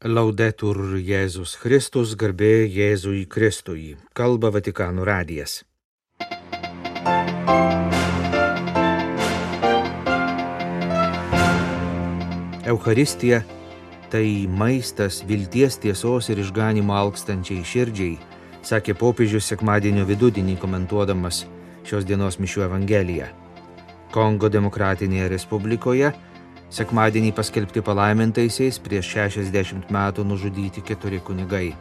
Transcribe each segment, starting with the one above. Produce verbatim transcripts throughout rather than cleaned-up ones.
Laudetur Jėzus Kristus, garbė Jėzui Kristui. Kalba Vatikano radijas. Eucharistija tai maistas vilties, tiesos ir išganymo alkstančiai širdžiai, sakė popiežius sekmadienio vidudienį komentuodamas šios dienos mišių evangeliją. Kongo Demokratinėje Respublikoje sekmadienį paskelbti palaimintaisiais prieš šešiasdešimt metų nužudyti keturi kunigai.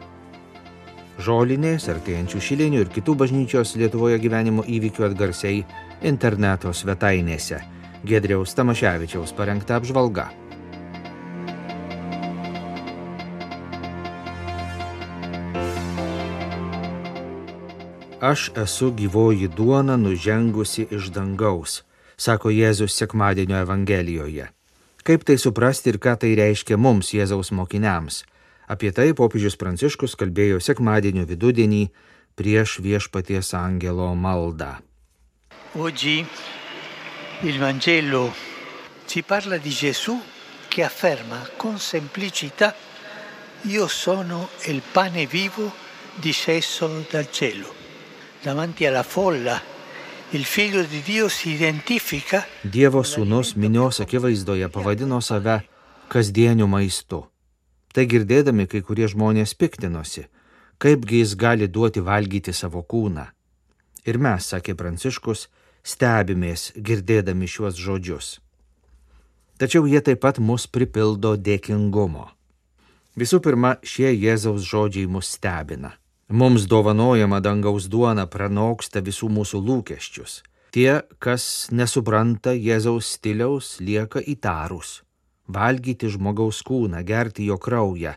Žolinės, artėjančių šilinių ir kitų bažnyčios Lietuvoje gyvenimo įvykių atgarsiai interneto svetainėse. Giedriaus Tamaševičiaus parengta apžvalga. Aš esu gyvoji duona nužengusi iš dangaus, sako Jėzus sekmadienio evangelijoje. Kaip tai suprasti ir ką tai reiškia mums, Jėzaus mokiniams? Apie tai popiežius Pranciškus kalbėjo sekmadienio vidudienį prieš Viešpaties angelo maldą. Oggi il Vangelo ci parla di Gesù che afferma con semplicità: Io sono il pane vivo disceso dal cielo. Davanti alla folla il figlio di Dio si identifica. Dievo sūnus minios akivaizdoje pavadino save kasdieniu maistu. Tai girdėdami kai kurie žmonės piktinosi, kaipgi jis gali duoti valgyti savo kūną. Ir mes, sakė Pranciškus, stebimės girdėdami šiuos žodžius. Tačiau jie taip pat mus pripildo dėkingumo. Visų pirma, šie Jėzaus žodžiai mus stebina. Mums dovanojama dangaus duona pranoksta visų mūsų lūkesčius. Tie, kas nesupranta Jėzaus stiliaus, lieka įtarūs. Valgyti žmogaus kūną, gerti jo kraują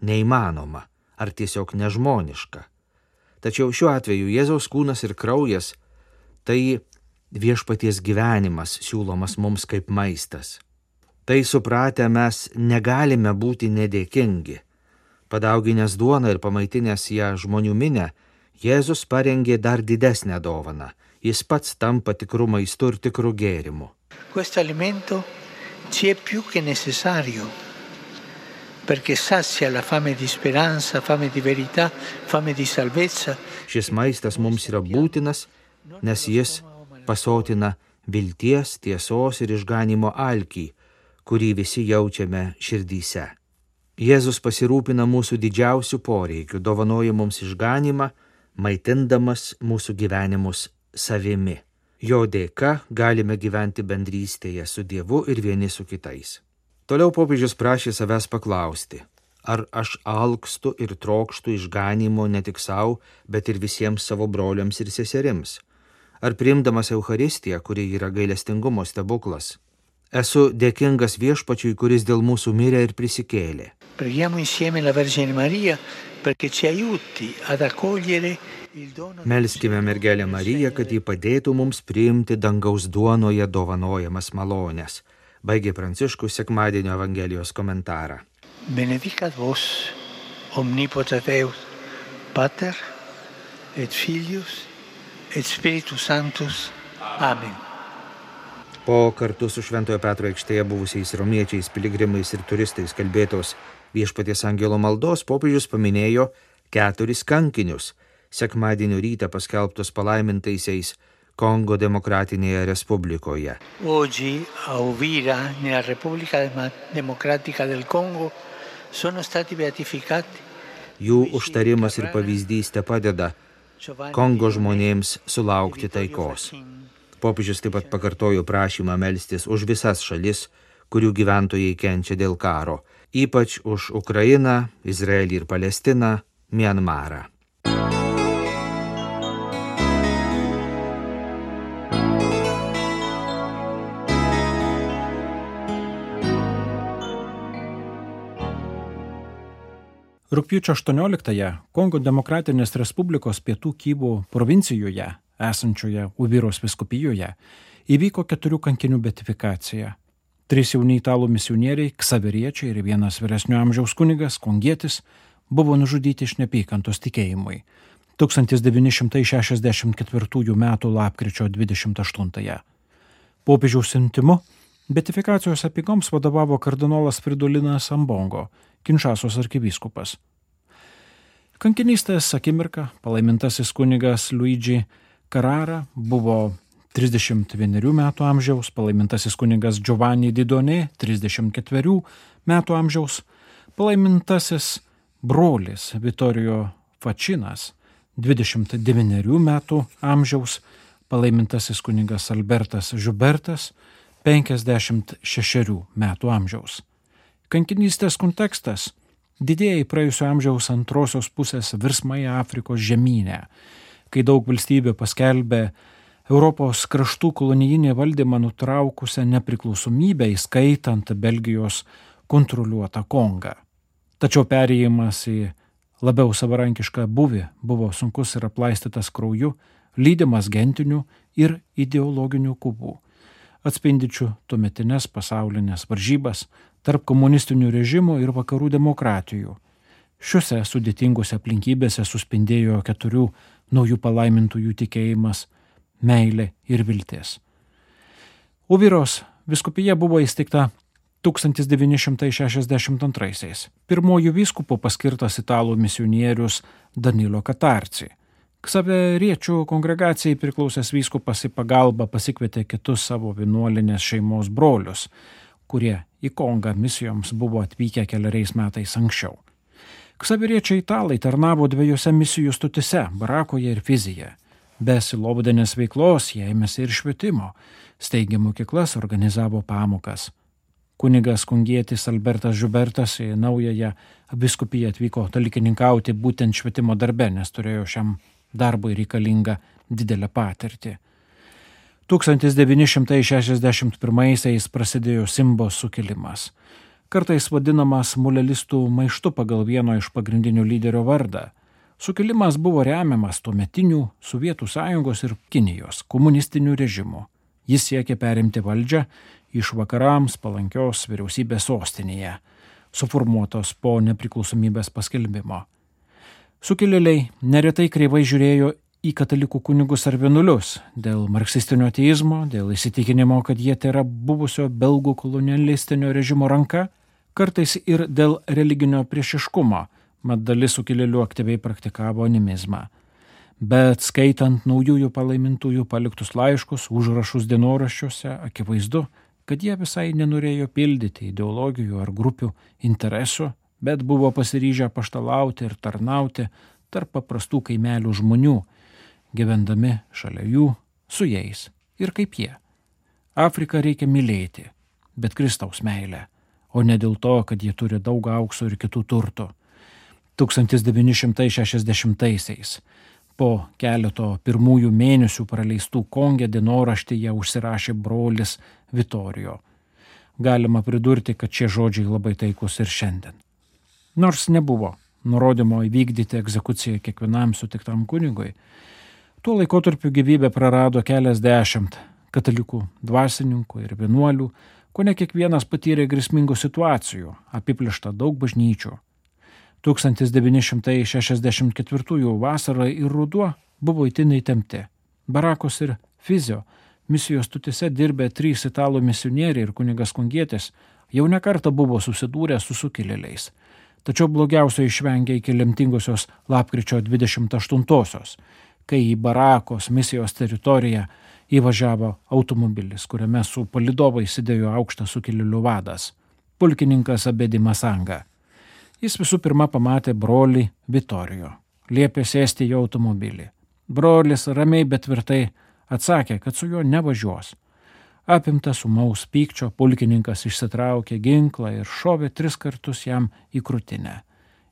neįmanoma ar tiesiog nežmoniška. Tačiau šiuo atveju Jėzaus kūnas ir kraujas tai Viešpaties gyvenimas siūlomas mums kaip maistas. Tai supratę mes negalime būti nedėkingi. Padauginęs duoną ir pamaitinęs ją žmonių minę, Jėzus parengė dar didesnę dovaną. Jis pats tampa tikru maistu ir tikru gėrimu. Questo alimento ci è più che necessario, perché sazia la fame di speranza, fame di verità, fame di salvezza. Šis maistas mums yra būtinas, nes jis pasotina vilties, tiesos ir išganymo alkį, kurį visi jaučiame širdyse. Jėzus pasirūpina mūsų didžiausių poreikių, dovanoja mums išganymą, maitindamas mūsų gyvenimus savimi. Jo dėka galime gyventi bendrystėje su Dievu ir vieni su kitais. Toliau popiežius prašė savęs paklausti, ar aš alkstu ir trokštu išganymo ne tik savo, bet ir visiems savo broliams ir seserims. Ar priimdamas Eucharistiją, kuri yra gailestingumo stebuklas, esu dėkingas Viešpačiui, kuris dėl mūsų mirė ir prisikėlė. Preghiamo insieme la Vergine Maria perché ci aiuti ad accogliere il dono. Melskime mergelę Mariją, kad ji padėtų mums priimti dangaus duonoje dovanojamas malones. Baigė Pranciškus sekmadienio evangelijos komentarą. Benedicat vos omnipotens Deus, Pater et Filius et Spiritus Sanctus. Amen. Po kartu su Šventojo Petro aikštėje buvusiais romiečiais, piligrimais ir turistais kalbėtos Viešpaties angelo maldos popiežius paminėjo keturis kankinius, sekmadienio rytą paskelbtus palaimintaisiais Kongo Demokratinėje Respublikoje. Oggi a Uvira, nella Repubblica Democratica del Congo, sono stati beatificati. Jų užtarimas ir pavyzdys te padeda Kongo žmonėms sulaukti taikos. Popiežius taip pat pakartojo prašymą melstis už visas šalis, kurių gyventojai kenčia dėl karo, ypač už Ukrainą, Izraelį ir Palestiną, Mianmarą. Rugpjūčio aštuonioliktąją Kongo Demokratinės Respublikos pietų Kivu provincijoje, esančioje Uviros vyskupijoje, įvyko keturių kankinių beatifikacija. Trys jauni italų misionieriai, ksaveriečiai ir vienas vyresnio amžiaus kunigas, kongietis, buvo nužudyti iš neapykantos tikėjimui tūkstantis devyni šimtai šešiasdešimt ketvirtųjų metų lapkričio dvidešimt aštuntąją. Popiežiaus siuntimu beatifikacijos apeigoms vadovavo kardinolas Fridolinas Ambongo Kinšasos arkivyskupas. Kankinystės akimirką palaimintasis kunigas Luigi Carrara buvo trisdešimt vienerių metų amžiaus, palaimintasis kunigas Giovanni Didonė trisdešimt ketverių metų amžiaus, palaimintasis brolis Vittorio Fačinas dvidešimt devynerių metų amžiaus, palaimintasis kunigas Albertas Žiubertas penkiasdešimt šešerių metų amžiaus. Kankinystės kontekstas – didėjai praėjusio amžiaus antrosios pusės virsmai Afrikos žemyne, kai daug valstybių paskelbė Europos kraštų kolonijinį valdymą nutraukusią nepriklausomybę, įskaitant Belgijos kontroliuotą Kongą. Tačiau perėjimas į labiau savarankišką buvį buvo sunkus ir aplaistytas krauju, lydimas gentinių ir ideologinių kovų, atspindičių tuometinės pasaulinės varžybas tarp komunistinių režimų ir vakarų demokratijų. Šiuose sudėtingose aplinkybėse suspindėjo keturių naujų palaimintųjų tikėjimas, meilė ir viltis. Uviros vyskupija buvo įsteigta tūkstantis devyni šimtai šešiasdešimt antraisiais. Pirmojų vyskupų paskirtas italų misionierius Danilo Katarci. Ksaveriečių kongregacijai priklausęs vyskupas į pagalbą pasikvietė kitus savo vienuolinės šeimos brolius, kurie į Kongą misijoms buvo atvykę keliariais metais anksčiau. Ksaveriečiai italai tarnavo dviejose misijų stotise – Barakoje ir Fizyje. Be silovadinės veiklos jie ėmėsi ir švietimo, steigė mokyklas, organizavo pamokas. Kunigas kungietis Albertas Žiubertas į naująją vyskupiją atvyko dalikininkauti būtent švietimo darbe, nes turėjo šiam darbui reikalingą didelę patirtį. tūkstantis devyni šimtai šešiasdešimt pirmaisiais prasidėjo Simbos sukilimas, kartais vadinamas mulelistų maištu pagal vieno iš pagrindinių lyderio vardą. Sukilimas buvo remiamas tuometinių Sovietų sąjungos ir Kinijos komunistinių režimų. Jis siekė perimti valdžią iš vakarams palankios vyriausybės sostinėje, suformuotos po nepriklausomybės paskelbimo. Sukilėliai neretai kreivai žiūrėjo į katalikų kunigus ar vienuolius dėl marksistinio ateizmo, dėl įsitikinimo, kad jie tėra buvusio belgų kolonialistinio režimo ranka, kartais ir dėl religinio priešiškumo, mat dalis sukilėlių aktyviai praktikavo animizmą. Bet skaitant naujųjų palaimintųjų paliktus laiškus, užrašus dienoraščiuose, akivaizdu, kad jie visai nenorėjo pildyti ideologijų ar grupių interesų, bet buvo pasiryžę paštalauti ir tarnauti tarp paprastų kaimelių žmonių, gyvendami šalia jų, su jais ir kaip jie. Afriką reikia mylėti, bet Kristaus meilę, o ne dėl to, kad jie turi daug aukso ir kitų turtų. tūkstantis devyni šimtai šešiasdešimtaisiais po keleto pirmųjų mėnesių praleistų Konge dienoraštyje užsirašė brolis Vittorio. Galima pridurti, kad šie žodžiai labai taikus ir šiandien. Nors nebuvo nurodymo įvykdyti egzekuciją kiekvienam sutiktam kunigui, tuo laikotarpiu gyvybę prarado keliasdešimt katalikų dvasininkų ir vienuolių, kone kiekvienas patyrė grėsmingų situacijų, apiplėšta daug bažnyčių. tūkstantis devyni šimtai šešiasdešimt ketvirtųjų vasara ir ruduo buvo itin įtempti. Barakos ir Fizio misijos stotise dirbę trys italų misionieriai ir kunigas kungietis jau nekartą buvo susidūrę su sukilėliais. Tačiau blogiausio išvengė iki lemtingosios lapkričio dvidešimt aštuntosios, kai į Barakos misijos teritoriją įvažiavo automobilis, kuriame su palydovais sėdėjo aukštas sukilėlių vadas, pulkininkas Abedi Masanga. Jis visų pirma pamatė brolį Vittorio, liepė sėsti į automobilį. Brolis ramiai bet tvirtai atsakė, kad su juo nevažiuos. Apimtas ūmaus pykčio, pulkininkas išsitraukė ginklą ir šovė tris kartus jam į krūtinę.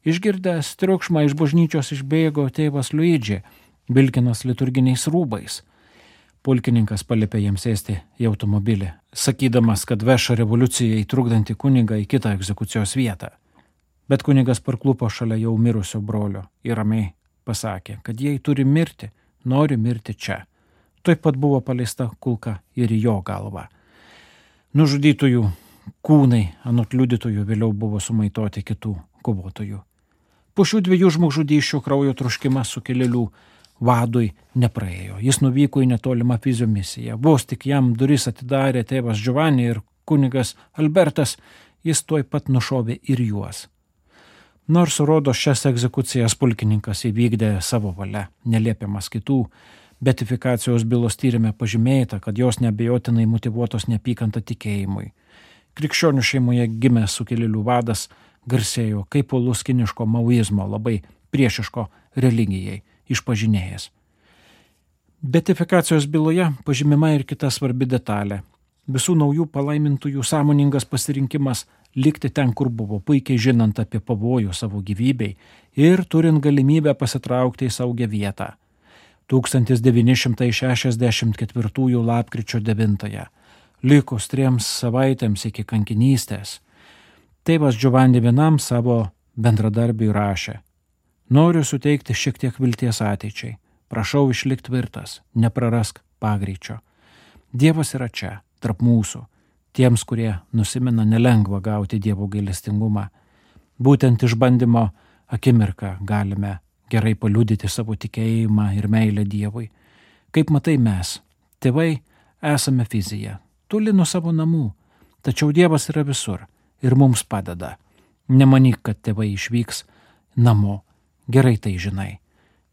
Išgirdęs triukšmą iš bažnyčios išbėgo tėvas Luigi, vilkinas liturginiais rūbais. Pulkininkas paliepė jiems sėsti į automobilį, sakydamas, kad veša revoliucijai trukdantį kunigą į kitą egzekucijos vietą. Bet kunigas parklupo šalia jau mirusio brolio ir ramiai pasakė, kad jei turi mirti, nori mirti čia. Taip pat buvo paleista kulka ir į jo galvą. Nužudytųjų kūnai anot liudytojų vėliau buvo sumaitoti kitų kovotojų. Po šių dviejų žmogžudysčių kraujo troškimas sukilėlių vadui nepraėjo. Jis nuvyko į netolimą Fizio misiją. Vos tik jam duris atidarė tėvas Giovanni ir kunigas Albertas, jis tuoj pat nušovė ir juos. Nors rodo šias egzekucijas pulkininkas įvykdė savo valia, neliepiamas kitų, betifikacijos bylos tyrime pažymėta, kad jos neabejotinai motyvuotos neapykanta tikėjimui. Krikščionių šeimoje gimęs sukilėlių vadas garsėjo kaip uolus kiniško maoizmo, labai priešiško religijai išpažinėjas. Betifikacijos byloje pažymima ir kita svarbi detalė. Visų naujų palaimintųjų sąmoningas pasirinkimas likti ten, kur buvo, puikiai žinant apie pavojų savo gyvybei ir turint galimybę pasitraukti į saugią vietą. tūkstantis devyni šimtai šešiasdešimt ketvirtųjų lapkričio devintąją, likus triems savaitėms iki kankinystės, tėvas Giovanni vienam savo bendradarbiui rašė: Noriu suteikti šiek tiek vilties ateičiai. Prašau išlikti tvirtas, neprarask pagreičio. Dievas yra čia, tarp mūsų, tiems, kurie nusimena nelengva gauti Dievo gailestingumą. Būtent išbandymo akimirką galime gerai paliudyti savo tikėjimą ir meilę Dievui. Kaip matai mes, tėvai, esame fizija, toli nuo savo namų, tačiau Dievas yra visur ir mums padeda. Nemanyk, kad tėvai išvyks namo, gerai tai žinai.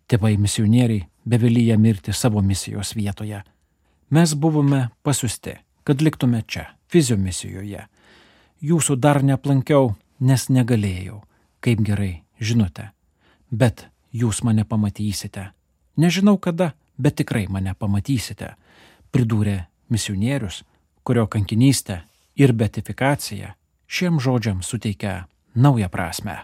Tėvai misionieriai bevelyja mirti savo misijos vietoje. Mes buvome pasiusti, kad liktume čia, fizio misijoje. Jūsų dar neaplankiau, nes negalėjau, kaip gerai žinote. Bet jūs mane pamatysite. Nežinau kada, bet tikrai mane pamatysite, pridūrė misionierius, kurio kankinystė ir betifikacija šiem žodžiams suteikia naują prasmę.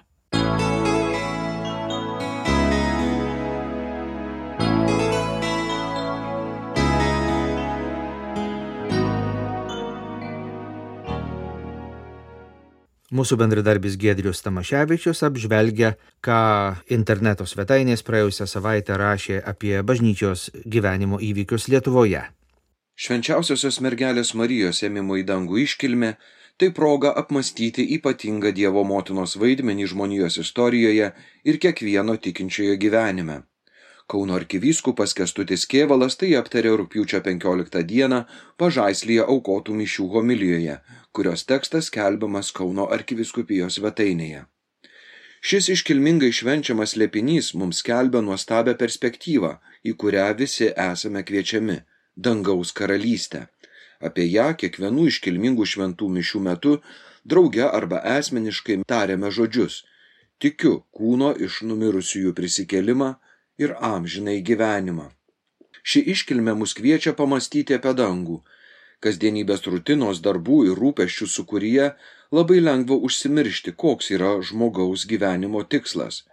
Mūsų bendradarbis Giedrius Tamaševičius apžvelgia, ką interneto svetainės praėjusią savaitę rašė apie bažnyčios gyvenimo įvykius Lietuvoje. Švenčiausiosios mergelės Marijos ėmimo į dangų iškilmė – tai proga apmąstyti ypatingą Dievo motinos vaidmenį žmonijos istorijoje ir kiekvieno tikinčiojo gyvenime. Kauno arkivyskupas Kęstutis Kėvalas tai aptarė rugpjūčio penkioliktą dieną Pažaislyje aukotų mišių homilijoje, kurios tekstas skelbiamas Kauno arkivyskupijos svetainėje. Šis iškilmingai švenčiamas slėpinys mums skelbia nuostabią perspektyvą, į kurią visi esame kviečiami – dangaus karalystę. Apie ją kiekvienų iškilmingų šventų mišių metu drauge arba asmeniškai tariame žodžius: tikiu kūno iš numirusiųjų prisikėlimą ir amžinai gyvenimą. Ši iškilmė mus kviečia pamastyti apie dangų. Kasdienybės rutinos darbų ir rūpesčių sūkuryje labai lengva užsimiršti, koks yra žmogaus gyvenimo tikslas.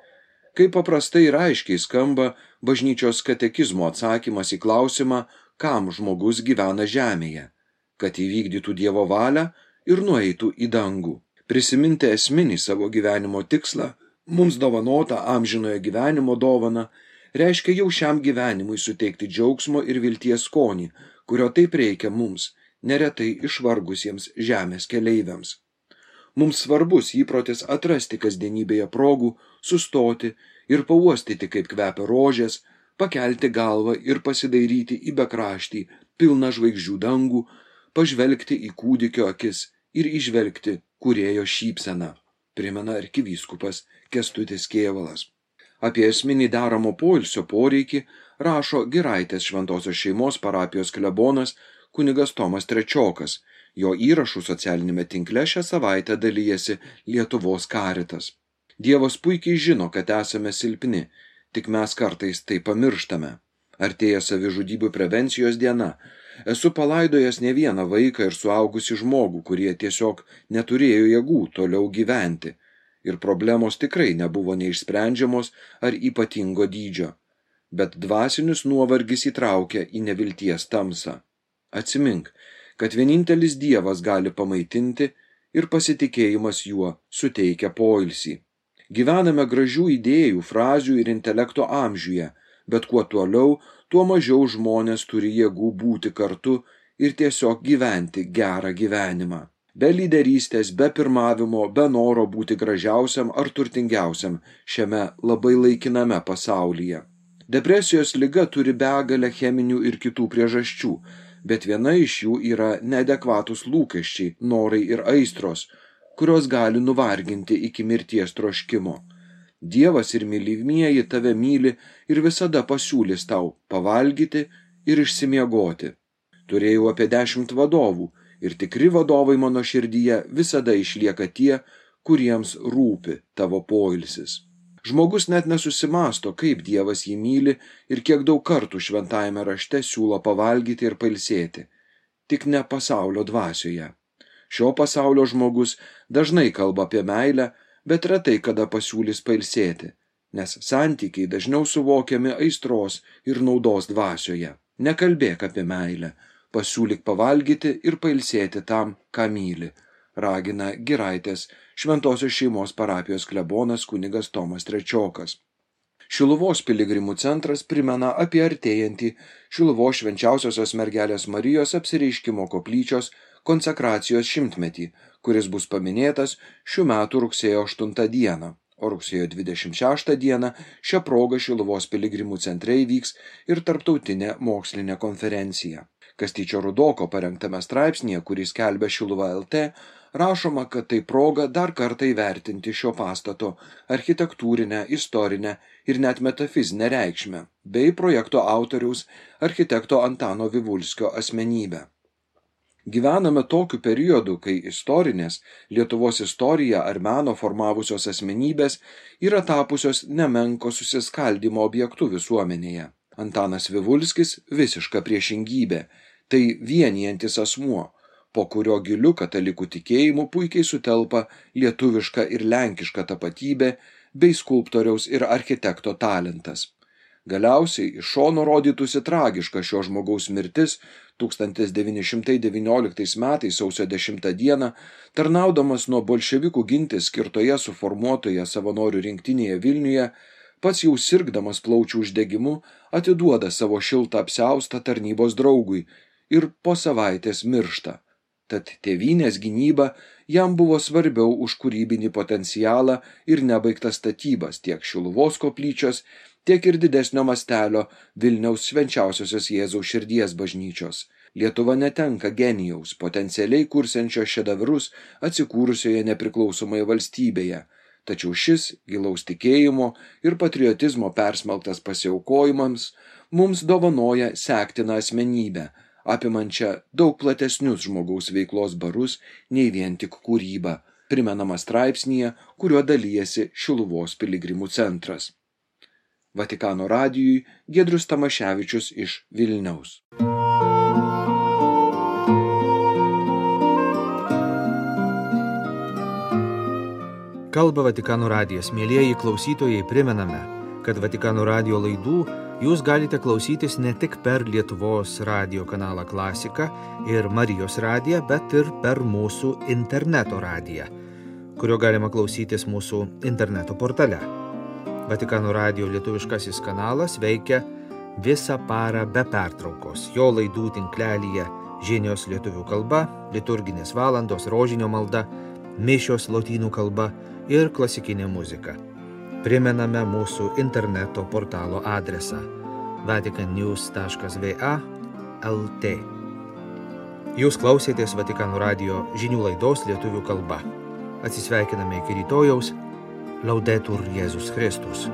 Kaip paprastai ir aiškiai skamba bažnyčios katekizmo atsakymas į klausimą, kam žmogus gyvena žemėje, kad įvykdytų Dievo valią ir nueitų į dangų. Prisiminti esminį savo gyvenimo tikslą, mums dovanota amžinojo gyvenimo dovana, reiškia jau šiam gyvenimui suteikti džiaugsmo ir vilties skonį, kurio taip reikia mums, neretai išvargusiems žemės keleiviams. Mums svarbus įprotis atrasti kasdienybėje progų, sustoti ir pauostyti, kaip kvepia rožės, pakelti galvą ir pasidairyti į bekraštį, pilną žvaigždžių dangų, pažvelgti į kūdikio akis ir įžvelgti kūrėjo šypseną, primena arkivyskupas Kęstutis Kėvalas. Apie esminį deramo poilsio poreikį rašo Giraitės šventosios šeimos parapijos klebonas kunigas Tomas Trečiokas. Jo įrašų socialinėme tinkle šią savaitę dalijasi Lietuvos Karitas. Dievas puikiai žino, kad esame silpni, tik mes kartais tai pamirštame. Artėja savižudybių prevencijos diena. Esu palaidojęs ne vieną vaiką ir suaugusį žmogų, kurie tiesiog neturėjo jėgų toliau gyventi. Ir problemos tikrai nebuvo neišsprendžiamos ar ypatingo dydžio. Bet dvasinis nuovargis įtraukia į nevilties tamsą. Atsimink, kad vienintelis Dievas gali pamaitinti ir pasitikėjimas juo suteikia poilsį. Gyvename gražių idėjų, frazių ir intelekto amžiuje, bet kuo toliau, tuo mažiau žmonės turi jėgų būti kartu ir tiesiog gyventi gerą gyvenimą. Be lyderystės, be pirmavimo, be noro būti gražiausiam ar turtingiausiam šiame labai laikiname pasaulyje. Depresijos liga turi begalę cheminių ir kitų priežasčių, bet viena iš jų yra neadekvatus lūkesčiai, norai ir aistros, kurios gali nuvarginti iki mirties troškimo. Dievas ir mylimieji tave myli ir visada pasiūlys tau pavalgyti ir išsimiegoti. Turėjau apie dešimt vadovų ir tikri vadovai mano širdyje visada išlieka tie, kuriems rūpi tavo poilsis. Žmogus net nesusimasto, kaip Dievas jį myli ir kiek daug kartų šventajame rašte siūlo pavalgyti ir pailsėti. Tik ne pasaulio dvasioje. Šio pasaulio žmogus dažnai kalba apie meilę, bet retai kada pasiūlys pailsėti, nes santykiai dažniau suvokiami aistros ir naudos dvasioje. Nekalbėk apie meilę, pasiūlyk pavalgyti ir pailsėti tam, ką myli, ragina Giraitės Šventosios šeimos parapijos klebonas kunigas Tomas Trečiokas. Šiluvos piligrimų centras primena apie artėjantį Šiluvos švenčiausiosios mergelės Marijos apsireiškimo koplyčios konsekracijos šimtmetį, kuris bus paminėtas šių metų rugsėjo aštuntą dieną, o rugsėjo dvidešimt šeštą dieną šią progą Šiluvos piligrimų centre įvyks ir tarptautinė mokslinė konferencija. Kastyčio Rudoko parengtame straipsnyje, kurį skelbia Šiluva L T, rašoma, kad tai proga dar kartą įvertinti šio pastato architektūrinę, istorinę ir net metafizinę reikšmę, bei projekto autoriaus architekto Antano Vivulskio asmenybę. Gyvename tokiu periodu, kai istorinės, Lietuvos istoriją ar meno formavusios asmenybės yra tapusios nemenko susiskaldymo objektu visuomenėje. Antanas Vivulskis visiška priešingybė, tai vienijantis asmuo, po kurio giliu katalikų tikėjimu puikiai sutelpa lietuviška ir lenkiška tapatybė bei skulptoriaus ir architekto talentas. Galiausiai iš šono rodytųsi tragiška šio žmogaus mirtis tūkstantis devyni šimtai devynioliktais metais sausio dešimtą dieną, tarnaudamas nuo bolševikų ginti skirtoje suformuotoje savanorių rinktinėje Vilniuje, pats jau sirgdamas plaučių uždegimu atiduoda savo šiltą apsiaustą tarnybos draugui ir po savaitės miršta. Tad tėvynės gynyba jam buvo svarbiau už kūrybinį potencialą ir nebaigtas statybas tiek Šiluvos koplyčios, tiek ir didesnio mastelio Vilniaus švenčiausiosios Jėzaus širdies bažnyčios. Lietuva netenka genijaus, potencialiai kursiančio šedavrus atsikūrusioje nepriklausomoje valstybėje, tačiau šis gilaus tikėjimo ir patriotizmo persmelktas pasiaukojimams mums dovanoja sektiną asmenybę, apimančią daug platesnius žmogaus veiklos barus nei vien tik kūrybą, primenama straipsnyje, kuriuo dalijasi Šiluvos piligrimų centras. Vatikano radijui Giedrius Tamaševičius iš Vilniaus. Kalba Vatikano radijas. Mielieji klausytojai, primename, kad Vatikano radijo laidų jūs galite klausytis ne tik per Lietuvos radijo kanalą Klasika ir Marijos radiją, bet ir per mūsų interneto radiją, kurio galima klausytis mūsų interneto portale. Vatikano radijo lietuviškasis kanalas veikia visą parą be pertraukos. Jo laidų tinklelyje žinios lietuvių kalba, liturginės valandos, rožinio malda, mišios lotynų kalba ir klasikinė muzika. Primename mūsų interneto portalo adresą vatican news taškas v a taškas l t. Jūs klausėtės Vatikano radijo žinių laidos lietuvių kalba. Atsisveikiname iki rytojaus. Laudetur Jėzus Kristus.